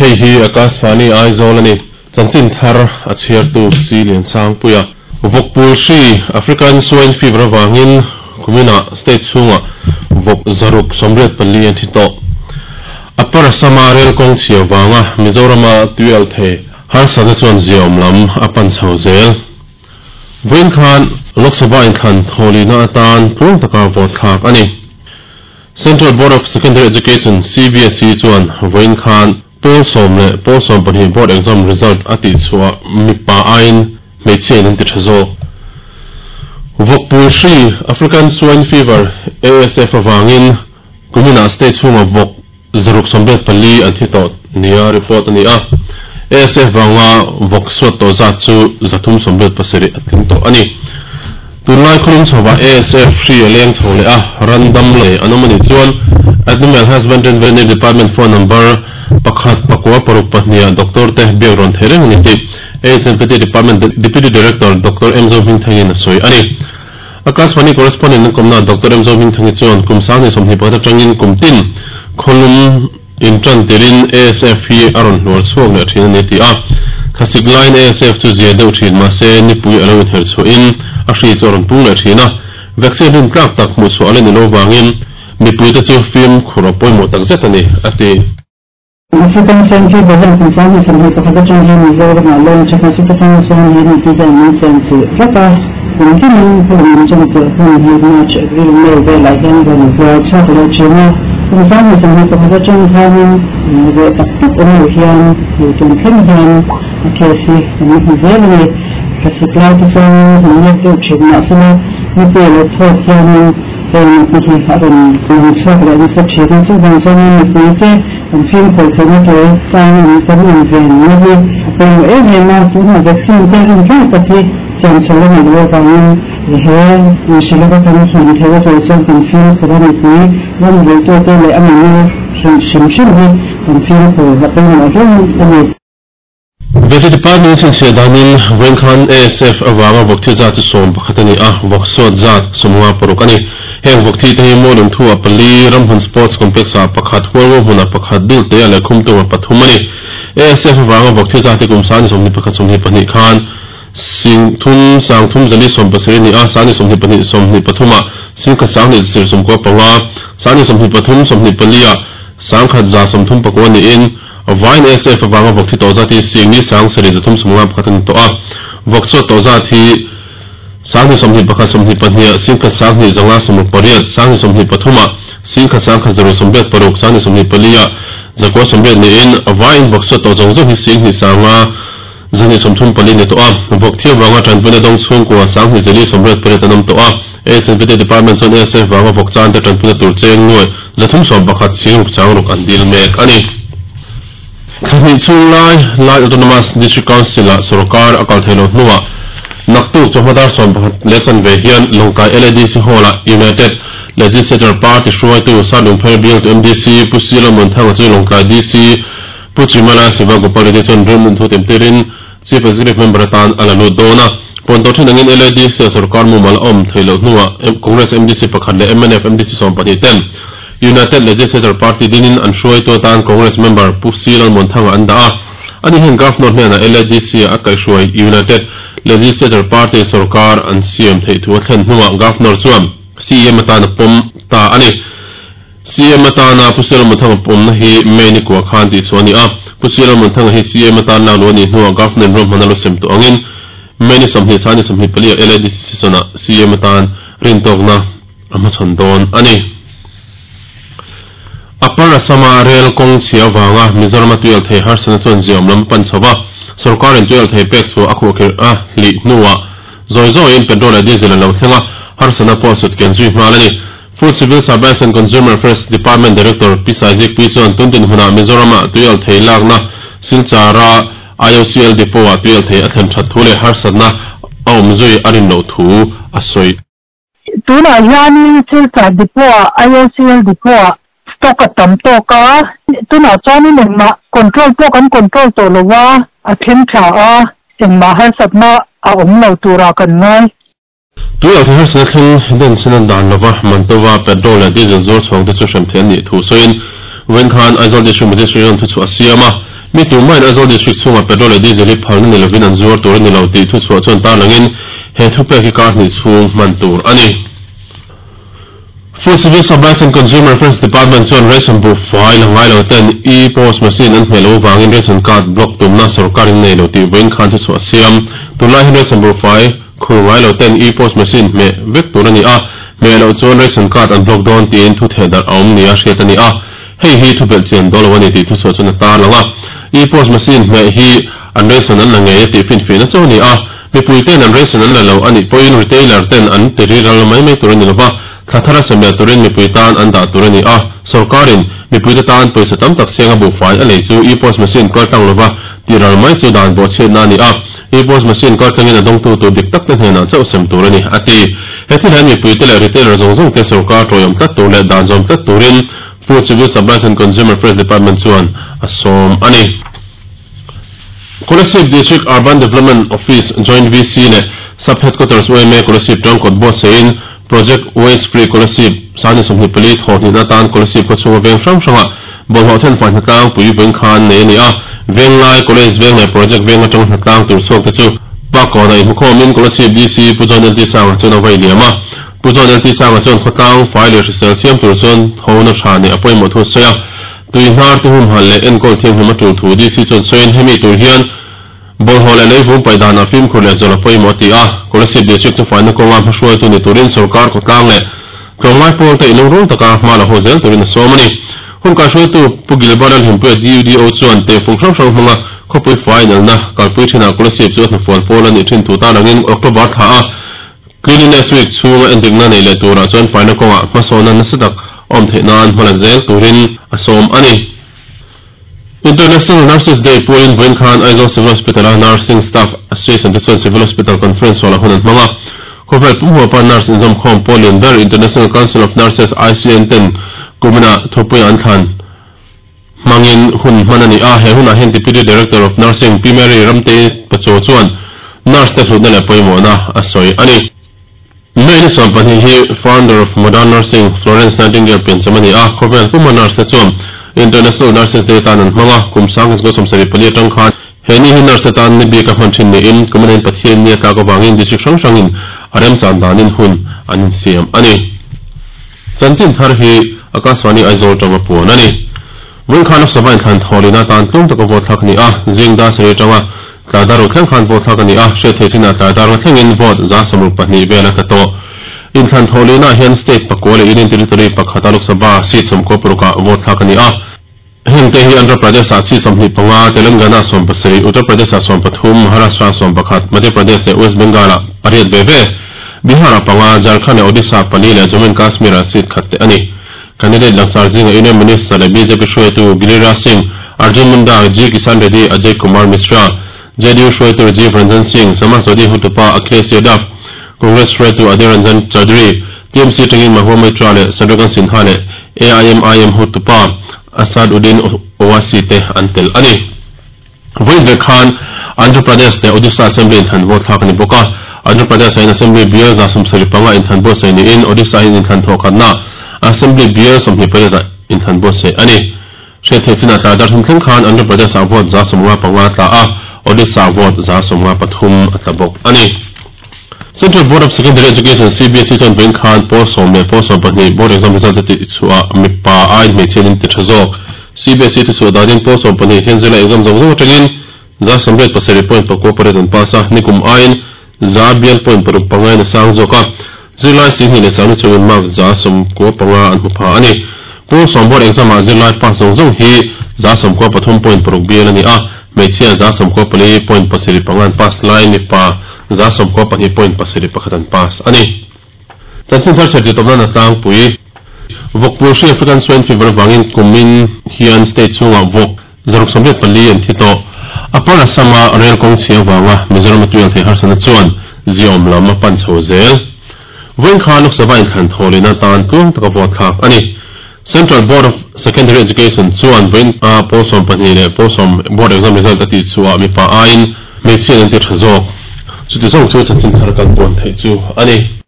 Hei hi Akashvani Aizawl a ni. Chanchin thar a chhiartu Si Liansangpuia. Vawkpul hri, African Swine Fever avangin kuminah state chhungah vawk 684 an thi tawh. Upper Assam-a rel kawng chhia vanga Mizorama tuialh thei harsatna chuan ziaawm lam a pan chho zel. Vawiin khan Lok Sabha inthlan thawhlihna atan tluang taka vote thlak a ni. Central Board of Secondary Education, CBSE, chuan vawiin khan pawl sawm leh pawl sawmpahnih board exam result a tihchhuah mipa aiin hmeichhia in an ti tha zawk. Vawkpul hri, African Swine Fever, ASF, avangin kuminah state chhunga vawk 684 an thi tawh nia report a ni a. ASF vanga vawk suat tawh zat chu 387 a tling tawh a ni. Tunlai khawlum chhovah ASF hri a leng chho leh a, ran dam leh an awm a nih chuan Animal Husbandry and Veterinary Department phone number pakhat pakua paruk pahniha doctor te biak rawn thei reng a ni tih AHMPT Department Deputy Director Doctor M Zohmingthangin a sawi a ni. Akashvani Correspondent an kawmna Doctor M Zohmingthangi chuan kum 2021 atangin kum tin khawlum intan tirin ASF hi a rawn hluar chhuak leh thin a ni a ti a. Thlasik laiin ASF chu zia deuh thin mahse nipui a lo inher chhuahin a hri chu a rawn pung leh thin a. Vaccine rin tlak tak hmuh chhuah a la ni lo vangin mipuite chu fimkhur a pawimawh tak zet a ni, a ti. African Swine Fever hian kum 2021 atang hian Mizoramah lawng tha hmasa takah chuan he mipui hian min chen chilh vek a, kum kinin hun min chen tirh hun hi March, April, May velah hian rawn hluar chhuak leh thin a. Kum 2021 atang khanin reh tak tak awm lo hian hei tun thleng hian a case hi kan hmu zel a ni. Thlasik lai te chuan min nek deuh thin mahsela mipui a lo phawt hianin Heng te hi a rawn lang chhuak leh nasa thin a, chuvang chuanin mipuite kan fimkhur theihna tur tan an kan inven na hi a pawimawh em em a, tunah vaccine te rin tlak tak hi siam chho a nih loh avangin he inhrilh laka kan hman theihna tur chuan kan fimkhur a, mipui ram ruitute leh a minu hrim hrim hi kan fimkhur a pawimawh hle a ni. Vety Department chhinchhiah danin vawiin khan ASF avanga vawkthi zat chu 11 a ni a, vawksawt zat 56 a ni. Heng vawkthi te hi Mawlung thu-ah pali, Ramhmun Sports Complex-ah pakhat, Hualngo hmunah pakhat, Dulte-ah leh Khumtung-ah pathum a ni. ASF avanga vawkthi zat hi kum 21 22 khan sing thum sang thum zali 17 a ni a, 22 23-ah singkhat sang hnih sir 95, 23 24-ah sangkhat 139 niin, Vawiin ASF avanga vawk thi tawh zat hi Singni sang sarih 351 a ni tawh a. Vawk chhuat tawh zat hi 2021 22 ah singkhat sang hnih zanga 68, 2023 ah singkhat sangkhat 186, 2024 ah 980 niin vawiin vawk chhuat tawh zawng zawng hi Singni sanga 234 ni tawh a. Vawk thi avanga tanpuina dawng chhungkua 2488 an awm tawh a. HNPT Department chuan ASF vanga vawk chan te tanpuina tur cheng nuai 311 sing ruk chang ruk an dil mek a ni. Thla hnih chhung lai Lai Autonomous District Council-ah sorkar a kal thei lo hnuah naktuk chawhma dar 11 leh chanve hian Lawngtlai LADC Hall-ah United Legislature Party hruaitu Sadungpher bialtu MDC Pu Silo Muanthanga chu Lawngtlai DC Pu Chimala Siva Gopal Reddy chuan rilmun thu temtirin Chief Executive Member atan a la lut dawn a. Puan tawh thin angin LADC-a sorkar mumal a awm theih loh hnuah Congress MDC pakhat leh mnf MDC 12 ten United Legislature Party dinin an hruaitu atan Congress member Pu C Lalmuanthanga an dah a. Ani hian Governor hnenah LADC-a a kaihhruai United Legislature Party sorkar an siam theih thu a thlen hnuah Governor chuan CEM atan a pawm ta a ni. CM atana Pu Sialmuanthanga pawmna hi May ni kua khan tih chhuah a ni a. Pu Sialmuanthanga hi CM atan lak luh a nih hnuah Governor ruahman a lo sem tawh angin May ni 20 sang ni 24 ah LADC session-ah CM atan rintawkna a hmachhawn dawn a ni. Upper Assam-a rel kawng chhia avanga Mizoram-a tuialthei harsatna chuan ziaawm lam a pan chho va, sorkarin tuialthei pek chhuah a khuhkhirh a hlih hnuah zawi zawiin petrol leh diesel a lo thleng a, harsatna pawh sut ken zui nghal a ni. Food Civil Supplies and Consumer Affairs Department Director Pi Saizikpui chuan tun dinhmunah Mizoram-ah tuialthei lakna Silchar-a IOCL Depot-ah tuialthei a thlen that thu leh harsatna a awm zui a rin loh thu a sawi. Tunah hianin Silchar Depot-ah IOCL Depot-ah stock a tam tawk a, tunah chuanin engmah control pawh kan control tawh lo a, a thleng tha a, engmah harsatna a awm lo turah kan ngai. Tui alh harsatna thleng den chhin an dan lova, Mantova petrol leh diesel zuar chhuang te chu hrem theih an nih thu sawiin vawiin khan Aizawl District Magistrate an thuchhuah a siam a. Mi tumahin Aizawl District chhungah petrol leh diesel hi phalna ni lovin an zuar tur a ni lo tih thuchhuah chuan tarlangin he thupek hi kar hnih chhung hman tur a ni. Food Civil Supplies and Consumer Affairs Department chuan ration bu fai la ngai lo ten e-POS machine an hmeh loh avangin ration card block tumna sorkar in nei lo tih vawiin khan thuchhuah a siam. Tunlai hian ration bu fai khur ngai lo ten e-POS machine hmeh vek tur a ni a, hmeh loh chuan ration card an block dawn tiin thu theh darh a awm nia hriat a ni a. Hei hi thu belh chian dawn lo a ni tih thuchhuah chuan a tarlang a. E-POS machine hmeh hi an ration an la ngei a tih finfiahna chu a ni a. Mipui ten an ration an la lo a nih pawhin retailer ten an ti riral mai mai tur a ni lova, thla thar a sem leh turin mipui tan an dah tur a ni a. Sorkarin mipuite tan pawisa tam tak sianga buhfai a lei chu e-POS machine kal tlang lova ti ral mai chu dan bawhchhiatna a ni a. E-POS machine kal tlangin a dawngtu tur dik tak te hnenah chauh sem tur a ni, a ti. He thil hian mipuite leh retailer zawng zawng te sorkar tawiawm tlat tur leh dan zawm tlat turin Food Civil Supplies and Consumer Affairs Department chuan a sawm a ni. Kolasib District Urban Development Office Joint VC leh Sub Headquarters yma Kolasib tangkawt buatsaihin Project Waste Free Kolasib sani 24 thawh hnihna atan Kolasib khawchhunga veng hrang hrangah bawlhhlawh thenfai hnatlang pui veng khan nei a ni a. Venglai, College veng leh Project veng atanga hnatlang tur chhuak te chu Pakkawnah inhmukhawmin Kolasib DC Pu John LT Sanga chuan a vai liam a. Pu John LT Sanga chuan khawtlang fai leh hrisel siam tur chuan hona tha neih a pawimawh thu a sawi a. Tui hnar te humhalh leh enkawl thianghlim a tul thu DC chuan sawiin hemi tur hian bawlhhlawh leh leivung paih danah fimkhur leh zawlh a pawimawh a ti a. Kolasib District chu faina kawnga hmahruaitu ni turin sorkar khawtlang leh tlawmngai pawl te inlungrung taka hma la haw zel turin a sawm a ni. Hun kaihruaitu Pu Gilbert Lalhimpuia DUDO chuan tehfung hrang hrang hmanga khawpui fai inelna kalpui thinah Kolasib chu a hnafual pawl a nih thin thu tarlangin October thla a Cleanliness Week chhunga endikna neih leh turah chuan faina kawngah hmasawnna nasa tak awm theih nan hma la zel turin a sawm a ni. International Nurses Day puain vawiin khan Aizawl Civil Hospital-a Nursing Staff Association te chuan Civil Hospital Conference Hall-ah hun an hmang a. Khawvel pumhuapa nurse inzawmkhawm pawl lian ber International Council of Nurses, ICN, ten kuminah thupuia an thlan hmangin hun hman a ni a. He hunah hian Deputy Director of Nursing Pi Mary Ramtei Pachaw chuan nurse te hlutna leh pawimawhna a sawi a ni. May ni 12 hi Founder of Modern Nursing Florence Nightingale piancham a ni a, khawvel puma nurse te chuan International Nurses Day tan an hmang a, kum 1974 atang khan he ni hi nurse te tan ni bik a hman thin niin kum anin Pathian ni a tlak avangin district hrang hrangin a remchan danin hun an insiam a ni. Chanchin thar hi Akashvani Aizawl tanga puan a ni. Vawiin khan Lok Sabha inthlan thawhlina atan tlum taka vote thlak a ni a, zing dar sarih atanga tlai dar ruk thleng khan vote thlak a ni a, hriat theih chinah tlai dar nga thlengin vote 62 vel a tla tawh. Inthlan thawhlinaah hian state pakua leh Union Territory pakhata Lok Sabha seat 96 ah vote thlak a ni a. Hengte hi Andhra Pradesh-ah seat 25, Telangana-ah 17, Uttar Pradesh-ah 13, Maharashtra-ah 11, Madhya Pradesh leh West Bengal-ah pariat ve ve, Bihar-ah panga, Jharkhand leh Odisha-ah pali leh Jammu and Kashmir-ah seat khat te a ni. Candidate langsar zinga Union Minister leh bjp hruaitu Giriraj Singh, Arjun Munda, G Kisan Reddy, Ajay Kumar Mishra, JDU hruaitu Rajiv Ranjan Singh, Samajwadi hotupa Akhilesh Yadav, Congress hruaitu Adhir Ranjan Chaudhary, TMC atangin Mahua Moitra leh Shatrughan Sinha leh AIMIM hotupa Asad Uddin Owaisi te an tel a ni. Vawiin vek khan Andhra Pradesh leh Odisha Assembly inthlan vote thlak a ni bawk a. Andhra Pradesh-ah hian Assembly bial 75 inthlan buatsaih niin Odisha hian inthlan thawh khatna Assembly bial 28 inthlan buatsaih a ni. Hriat theih chinah tlai dar thum thleng khan Andhra Pradesh-ah vote 95 a tla a, Odisha-ah vote 93 a tla bawk a ni. Central Board of Secondary Education, CBSE, chuan vawiin khan pawl sawm leh pawl 12 board exam result a tih chhuah mipa aiin hmeichhia an inti tha zawk. CBSE thuchhuah danin pawl 12 hian zirlai exam zawng zawng atangin 97.98 an pass a, nikum aiin za bial point paruk pangain a sang zawk a, zirlai 20,000 ni chungin mark 95 an hmu pha a ni. Pawl sawm board exam ah zirlai pass zawng zawng hi 93.6 bial a ni a, hmeichhia 94.75 an pass lai mipa 92.71 an pass a ni. Chanchin thar chher tih tawpna na tlangpui. Vawkpui hri African Swine Fever avangin kumin hian state chhungah vawk 684 an thi tawh. Upper Assam-a rail kawng chhia avanga Mizoram-a tuial thei harsatna chuan ziaawm lam a pan chho zel. Vawiin khan Lok Sabha inthlan thawhlehna atan tluang taka vote thlak a ni. Central Board of Secondary Education chuan vawiin a pawl 12 leh pawl sawm board exam result a tih chhuah mipa aiin hmeichhia an ti tha zawk. Chuti zawng chu chanchin thar kan puan theih chu a ni.